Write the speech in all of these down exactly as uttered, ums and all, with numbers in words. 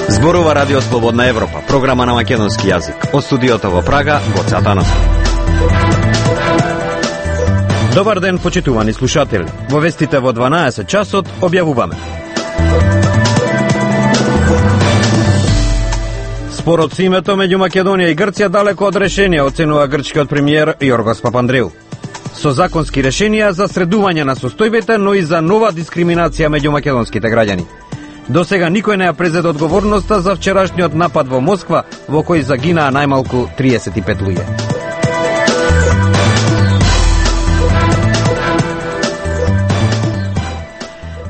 Зборува Радио Слободна Европа, програма на македонски јазик. Од студиото во Прага, Гоце Атанасов. Добар ден, почитувани слушатели. Во вестите во дванаесет часот објавуваме. Спорот со името меѓу Македонија и Грција далеко од решение, оценува грчкиот премиер Јоргос Папандреу. Со законски решенија за средување на состојбите, но и за нова дискриминација меѓу македонските граѓани. До сега никој не ја презеде одговорноста за вчерашниот напад во Москва, во кој загинаа најмалку триесет и пет луѓе.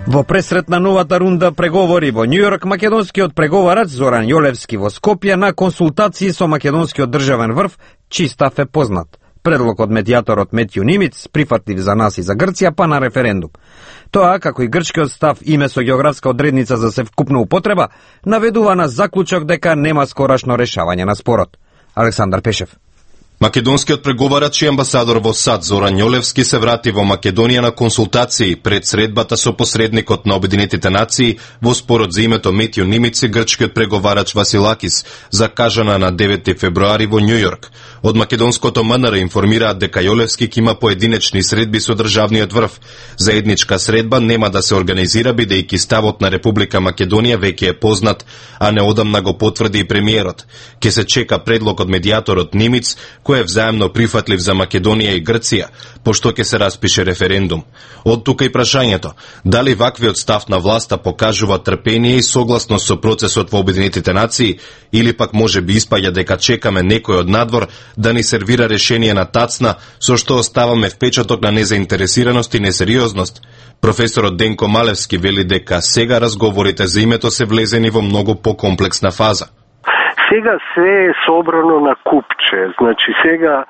Во пресрет на новата рунда преговори во Њујорк, македонскиот преговарач Зоран Јолевски во Скопје на консултации со македонскиот државен врв, чиј став е познат. Предлог од медијаторот Метју Нимиц, прифатлив за нас и за Грција, па на референдум. Тоа, како и грчкиот став име со географска одредница за севкупна употреба, наведува на заклучок дека нема скорашно решавање на спорот. Александар Пешев. Македонскиот преговарач и амбасадор во САД Зоран Јолевски се врати во Македонија на консултации пред средбата со посредникот на Обединетите нации во спорот за името Метју Нимиц и грчкиот преговарач Василакис, закажана на девети февруари во Њујорк. Од македонското МНР информираат дека Јолевски ќе има поединечни средби со државниот врв. Заедничка средба нема да се организира бидејќи ставот на Република Македонија веќе е познат, а неодамна го потврди и премиерот. Ке се чека предлог од медијаторот Нимиц, кој е взаемно прифатлив за Македонија и Грција, пошто ќе се распише референдум. Од тука и прашањето, дали ваквиот став на власта покажува трпение и согласност со процесот во Обединетите нации, или пак може би испаѓа дека чекаме некој од надвор да ни сервира решение на тацна, со што оставаме впечаток на незаинтересираност и несериозност. Професорот Денко Малевски вели дека сега разговорите за името се влезени во многу покомплексна фаза. Сега се е собрано на купче, значи сега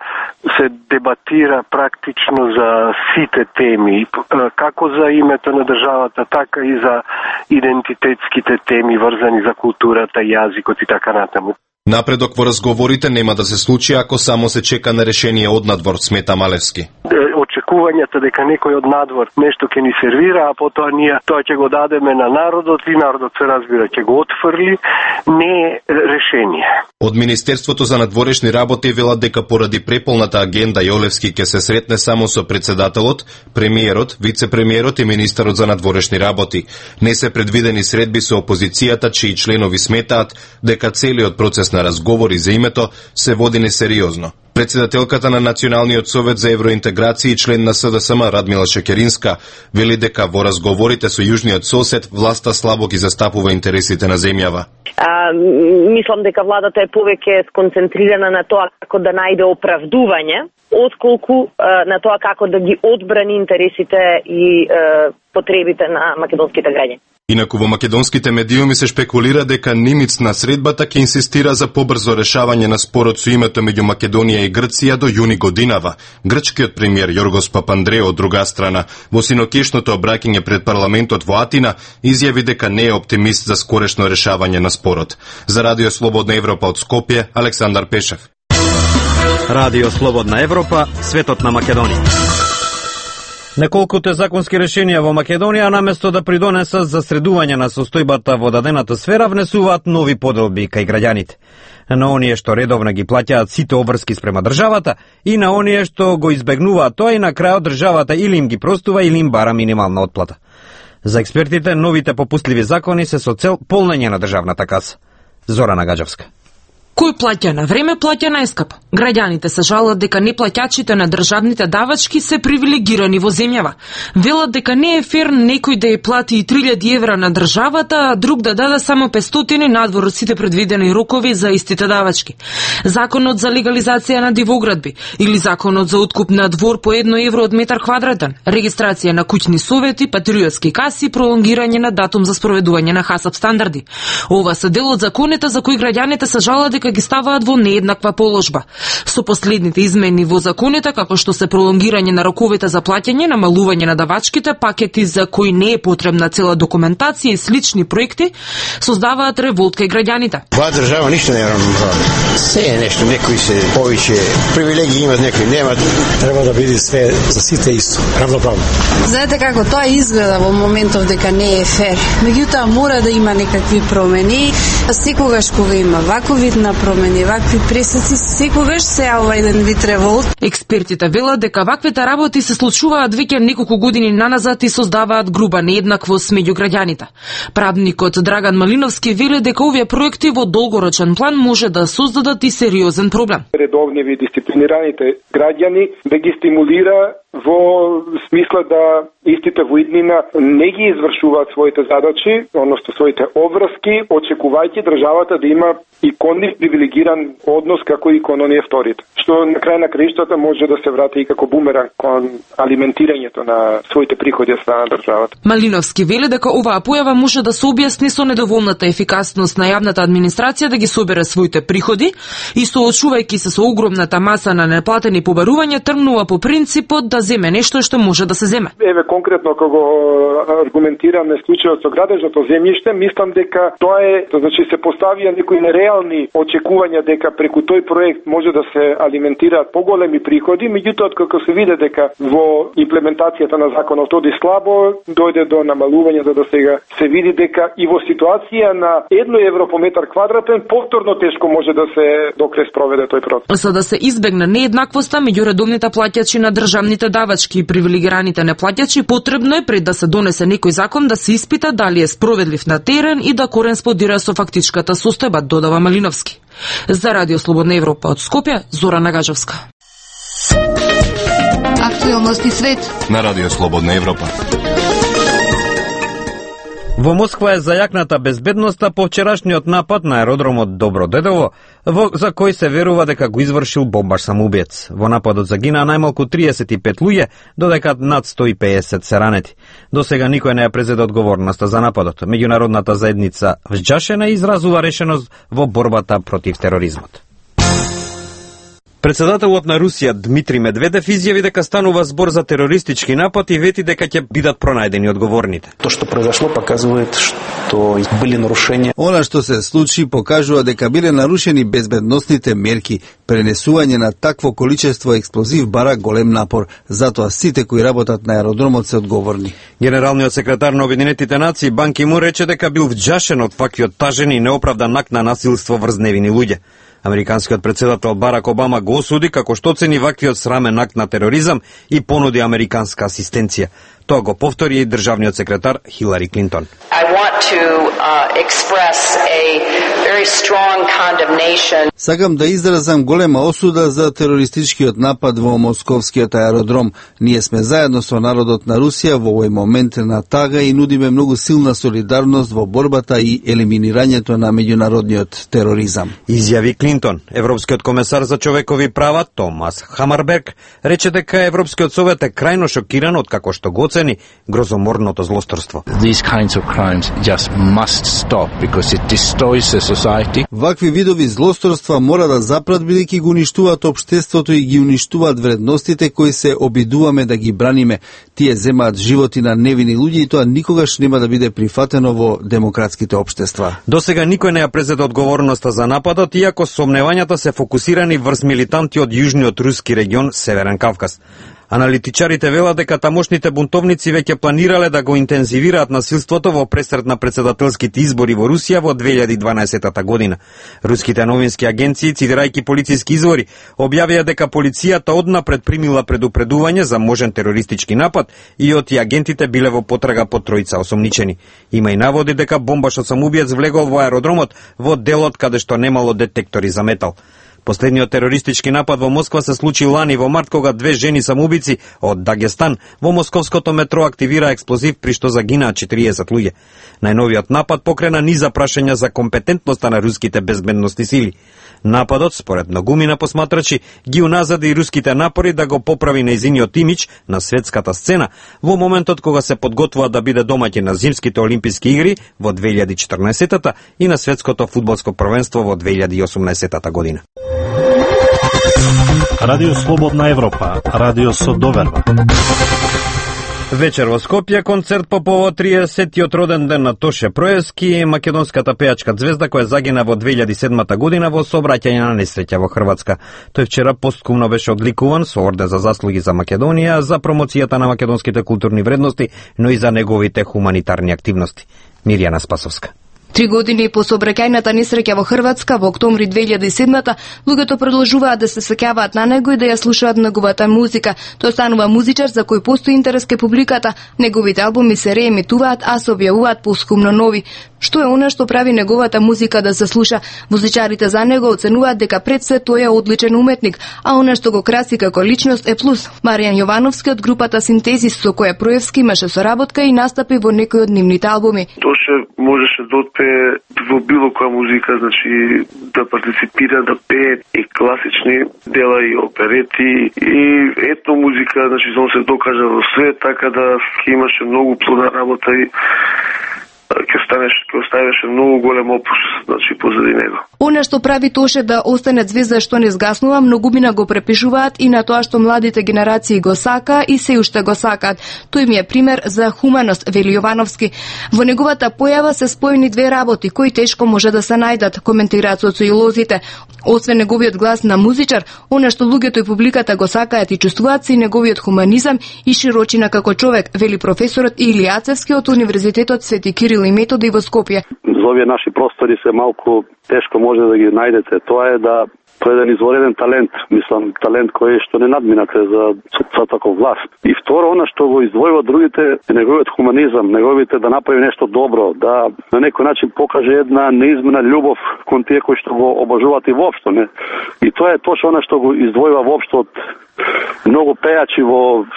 се дебатира практично за сите теми, како за името на државата, така и за идентитетските теми врзани за културата, јазикот и така натаму. Напредок во разговорите нема да се случи ако само се чека на решение од надвор, смета Малевски. Очекувањата дека некој од надвор нешто ќе ни сервира, а потоа ние тоа ќе го дадеме на народот и народот се разбира ќе го отфрли, не е решение. Од Министерството за надворешни работи велат дека поради преполната агенда Јолевски ќе се сретне само со председателот, премиерот, вице-премиерот и министерот за надворешни работи. Не се предвидени средби со опозицијата, чии членови сметаат дека целиот процес на разговори за името се води несериозно. Председателката на Националниот совет за евроинтеграција и член на СДСМ Радмила Шекеринска вели дека во разговорите со јужниот сосед власта слабо ги застапува интересите на земјава. А, мислам дека владата е повеќе сконцентрирана на тоа како да најде оправдување, отколку а, на тоа како да ги одбрани интересите и а, потребите на македонските граѓани. Инаку во македонските медиуми се шпекулира дека Нимиц на средбата ќе инсистира за побрзо решавање на спорот со името меѓу Македонија и Грција до јуни годинава. Грчкиот премиер Јоргос Папандреу од друга страна во синокешното обраќање пред парламентот во Атина изјави дека не е оптимист за скорешно решавање на спорот. За Радио Слободна Европа од Скопје, Александар Пешев. Радио Слободна Европа, светот на Македонија. Неколкуте законски решенија во Македонија, наместо да придонесат за средување на состојбата во дадената сфера, внесуваат нови поделби кај граѓаните. На оние што редовно ги плаќаат сите обврски спрема државата и на оние што го избегнуваат тоа и на крајот државата или им ги простува или им бара минимална отплата. За експертите, новите попустливи закони се со цел полнење на државната каса. Зорана Гаџевска. Кој плаќа на време, плаќа најскапо. Граѓаните се жалат дека неплаќачите на државните давачки се привилегирани во земјава. Велат дека не е фер некој да ја плати и три илјади евра на државата, а друг да даде само петстотини надвор од сите предвидени рокови за истите давачки. Законот за легализација на дивоградби или законот за откуп на двор по едно евро од метар квадратен, регистрација на куќни совети, патриотски каси, пролонгирање на датум за спроведување на ХАСАП стандарди. Ова се дел од законите за кои граѓаните се жалат дека дека ги ставаат во нееднаква положба. Со последните измени во законите, како што се пролонгирање на роковите за плаќање, намалување на давачките, пакети за кои не е потребна цела документација и слични проекти, создаваат револт кај граѓаните. Ова држава ништо не е равноправно. Се е нешто, некои се повеќе привилегии имат, некои немат. Треба да биде све за сите исто, равноправно. Знаете како тоа изгледа во моментов дека не е фер. Меѓутоа мора да има некакви промени. Секогаш кога има ваков вид на промени, вакви пресеци, секогаш се јавува еден вид револт. Експертите велат дека ваквите работи се случуваат веќе неколку години наназад и создаваат груба нееднаквост меѓу граѓаните. Правникот Драган Малиновски вели дека овие проекти во долгорочен план може да создадат и сериозен проблем. Редовни дисциплинираните граѓани да ги стимулира во смисла да истите во иднина не ги извршуваат своите задачи, односно своите обврски, очекувајќи државата да има и кон нив привилегиран однос како и кон оние вторите. Што на крај на краиштата може да се врати и како бумеранг кон алиментирањето на своите приходи од страна на државата. Малиновски вели дека оваа појава може да се објасни со недоволната ефикасност на јавната администрација да ги собере своите приходи и соочувајќи се со огромната маса на неплатени побарувања, тргнува по принципот да земе нешто што може да се земе. Еве конкретно кога аргументираме случајот со градежното земјиште, мислам дека тоа е, значи се поставија некои нереални очекувања дека преку тој проект може да се алиментираат поголеми приходи, меѓутоа како се види дека во имплементацијата на законот оди слабо, дојде до намалување, за да сега се види дека и во ситуација на едно евро по метар квадратен повторно тешко може да се докрај спроведе тој процес. За да се избегне нееднаквоста меѓу редовните плаќачи на државните давачки и привилегираните неплаќачи, потребно е пред да се донесе некој закон да се испита дали е справедлив на терен и да кореспондира со фактичката состојба, додава Малиновски. За Радио Слободна Европа од Скопје, Зора Нагажевска. Актуелности свет на Радио Слободна Европа. Во Москва е зајакната безбедноста по вчерашниот напад на аеродромот Добродедово, во, за кој се верува дека го извршил бомбаш самоубиец. Во нападот загинаа најмалку триесет и пет луѓе, додека над сто и педесет се ранети. До сега никој не ја презеде одговорноста за нападот. Меѓународната заедница вџашена изразува решеност во борбата против тероризмот. Председателот на Русија Дмитрий Медведев изјави дека станува збор за терористички напад и вети дека ќе бидат пронајдени одговорните. То што произошло показува што биле нарушенија. Она што се случи покажува дека биле нарушени безбедносните мерки. Пренесување на такво количество експлозив бара голем напор, затоа сите кои работат на аеродромот се одговорни. Генералниот секретар на Обединетите нации Бан Ки Мун рече дека бил вџашен од ваквиот тажен и неоправдан акт на насилство врз невини луѓе. Американскиот председател Барак Обама го осуди како што оцени ваквиот срамен акт на тероризам и понуди американска асистенција. Тоа го повтори и државниот секретар Хилари Клинтон. I want to uh, express a very strong condemnation. Сакам да изразам голема осуда за терористичкиот напад во московскиот аеродром. Ние сме заедно со народот на Русија во овој момент на тага и нудиме многу силна солидарност во борбата и елиминирањето на меѓународниот тероризам. Изјави Клинтон. Европскиот комесар за човекови права Томас Хамарберг рече дека Европскиот совет е крајно шокиран од како што го оцени грозоморното злосторство. These kinds of crimes just must stop because it destroys the society. Вакви видови злосторства мора да запрат бидејќи го уништуваат општеството и ги уништуваат вредностите кои се обидуваме да ги браниме. Тие земаат животи на невини луѓе и тоа никогаш нема да биде прифатено во демократските општества. До сега никој не ја презеде одговорноста за нападот, иако сомневањата се фокусирани врз милитанти од јужниот руски регион Северен Кавказ. Аналитичарите велат дека тамошните бунтовници веќе планирале да го интензивираат насилството во пресред на председателските избори во Русија во две илјади и дванаесета година. Руските новински агенции, цитирајќи полициски извори, објавија дека полицијата однапред примила предупредување за можен терористички напад и оти агентите биле во потрага по тројца осомничени. Има и наводи дека бомбашот самоубиец влегол во аеродромот во делот каде што немало детектори за метал. Последниот терористички напад во Москва се случи лани во март, кога две жени самоубици од Дагестан во московското метро активира експлозив при што загинаа четириесет луѓе. Најновиот напад покрена низа прашања за компетентноста на руските безбедносни сили. Нападот, според многумина посматрачи, ги уназади и руските напори да го поправи нејзиниот имидж на светската сцена во моментот кога се подготвува да биде домаќин на зимските олимписки игри во две илјади и четрнаесетта и на светското фудбалско првенство во две илјади и осумнаесетта година. Радио Слободна Европа, радио со доверба. Вечер во Скопје концерт по повод триесеттиот роден ден на Тоше Проевски, македонската пејачка звезда која загина во две илјади и седмата година во сообраќање на несреќа во Хрватска. Тој вчера посткумно беше одликуван со орден за заслуги за Македонија за промоцијата на македонските културни вредности, но и за неговите хуманитарни активности. Мирјана Спасовска. Три години по сообраќајната несреќа во Хрватска во октомври две илјади и седмата, луѓето продолжуваат да се сеќаваат на него и да ја слушаат неговата музика. Тој станува музичар за кој постои интерес кај публиката. Неговите албуми се реемитуваат, а се објавуваат посхумно нови. Што е она што прави неговата музика да се слуша? Музичарите за него оценуваат дека пред се тој е одличен уметник, а она што го краси како личност е плюс. Маријан Јовановски од групата Синтезис, со која Проевски имаше соработка и настапи во некои од нивните албуми. Тоше можеше да отпее во било која музика, значи да партиципира, да пее и класични дела и оперети и етно музика, значи он се докажа во свет, така да имаше многу плодна работа и ќе станеш, ќе оставеше многу голем опус, значи позади него. Она што прави Тоше да остане звезда што не згаснува, многумина го препишуваат и на тоа што младите генерации го сака и се уште го сакаат. Тој ми е пример за хуманост, вели Јовановски. Во неговата појава се спојени две работи кои тешко може да се најдат, коментираат социолозите. Освен неговиот глас на музичар, она што луѓето и публиката го сакаат и чувствуваат се и неговиот хуманизам и широчина како човек, вели професорот Илијацевски од Универзитетот Свети Кирил и Методи во Скопје. За овие наши простори се малку тешко може да ги најдете. Тоа е да тој е еден извореден талент, мислам, талент кој што не надминате за, за таков власт. И второ, она што го издвојува другите, е неговиот хуманизам, неговите да направи нешто добро, да на некој начин покаже една неизмена љубов кон тие кои што го обожуваат и воопшто, не? И тоа е точно она што го издвојува воопшто од многу пејачи во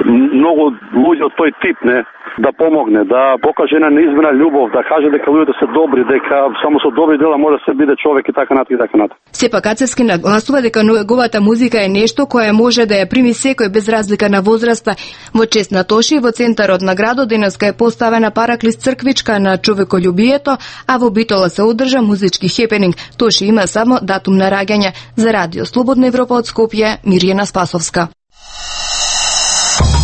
многу луѓе од тој тип, не? Да помогне, да покаже една неизмена љубов, да каже дека луѓето се добри, дека само со добри дела може да се биде човек и така натаму и така натаму. Сепак Ацевски нагласува дека неговата музика е нешто кое може да ја прими секој без разлика на возраста. Во чест на Тоши во центарот на градот денеска е поставена параклис црквичка на човеколюбието, а во Битола се одржа музички хепенинг. Тоши има само датум на раѓање. За Радио Слободна Европа од Скопје, Мирјана Спасовска.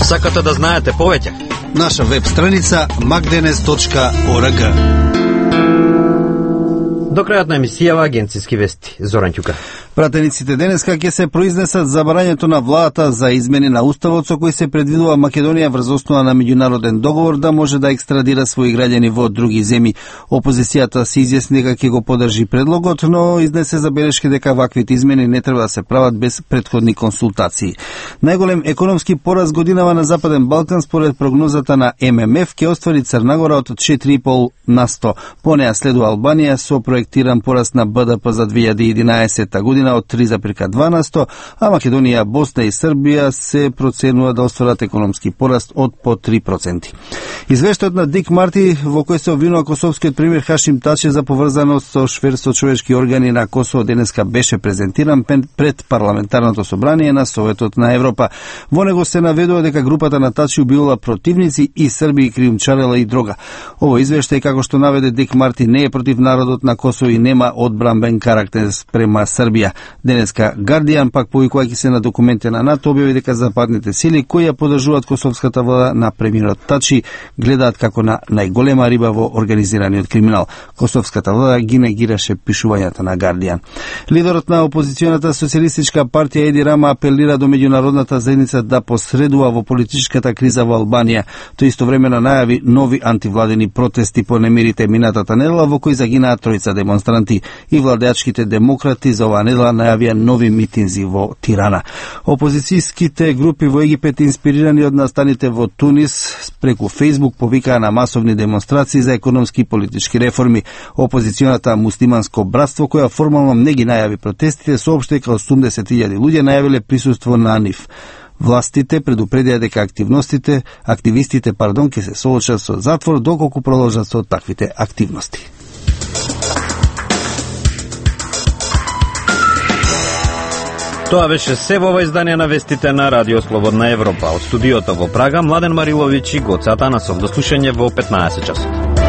Сакате да знаете повеќе? Наша веб страница magdenes точка org. До крајот на емисијава агенциски вести. Зоран Ќука. Пратениците денеска ќе се произнесат за барањето на владата за измени на уставот со кој се предвидува Македонија врз основа на меѓународен договор да може да екстрадира своји граѓани во други земји. Опозицијата се изјасни дека ќе го поддржи предлогот, но изнесе забелешки дека ваквите измени не треба да се прават без претходни консултации. Најголем економски пораз годинава на Западен Балкан според прогнозата на Ем Ем Еф ќе оствари Црна Гора од четири и полу на сто. По неа следува Албанија со проектиран пораст на Б Д П за две илјади и единаесетта година од три зарез два на сто, а Македонија, Босна и Србија се проценува да остварат економски пораст од по три проценти. Извештајот на Дик Марти во кој се обвинува косовскиот премиер Хашим Тачи за поврзаност со шверство човечки органи на Косово денеска беше презентиран пред парламентарното собрание на Советот на Европа. Во него се наведува дека групата на Тачи убивала противници и срби и криумчарела и дрога. Ово извештај, како што наведе Дик Марти, не е против народот на Косово и нема одбранбен карактер спрема Србија. Денеска Гардијан, пак повикувајќи се на документи на НАТО, објави дека западните сили кои ја поддржуваат косовската влада на премиерот Тачи гледаат како на најголема риба во организираниот криминал. Косовската влада ги негираше пишувањата на Гардијан. Лидерот на опозиционата социјалистичка партија Еди Рама апелира до меѓународната заедница да посредува во политичката криза во Албанија. Тој истовремено најави нови антивладени протести по немирите минатата недела во кои загинаа тројца демонстранти. И владеачките демократи за оваа недела затвора најавија нови митинзи во Тирана. Опозицијските групи во Египет, инспирирани од настаните во Тунис, преку Фејсбук повикаа на масовни демонстрации за економски и политички реформи. Опозиционата Муслиманско братство, која формално не ги најави протестите, соопшти дека осумдесет илјади луѓе најавиле присуство на нив. Властите предупредија дека активностите, активистите, пардон, ќе се соочат со затвор доколку продолжат со таквите активности. Тоа беше се во ова издание на вестите на Радио Слободна Европа. Од студиото во Прага, Младен Мариловиќ и Гоце Атанасов. До слушање во петнаесет часот.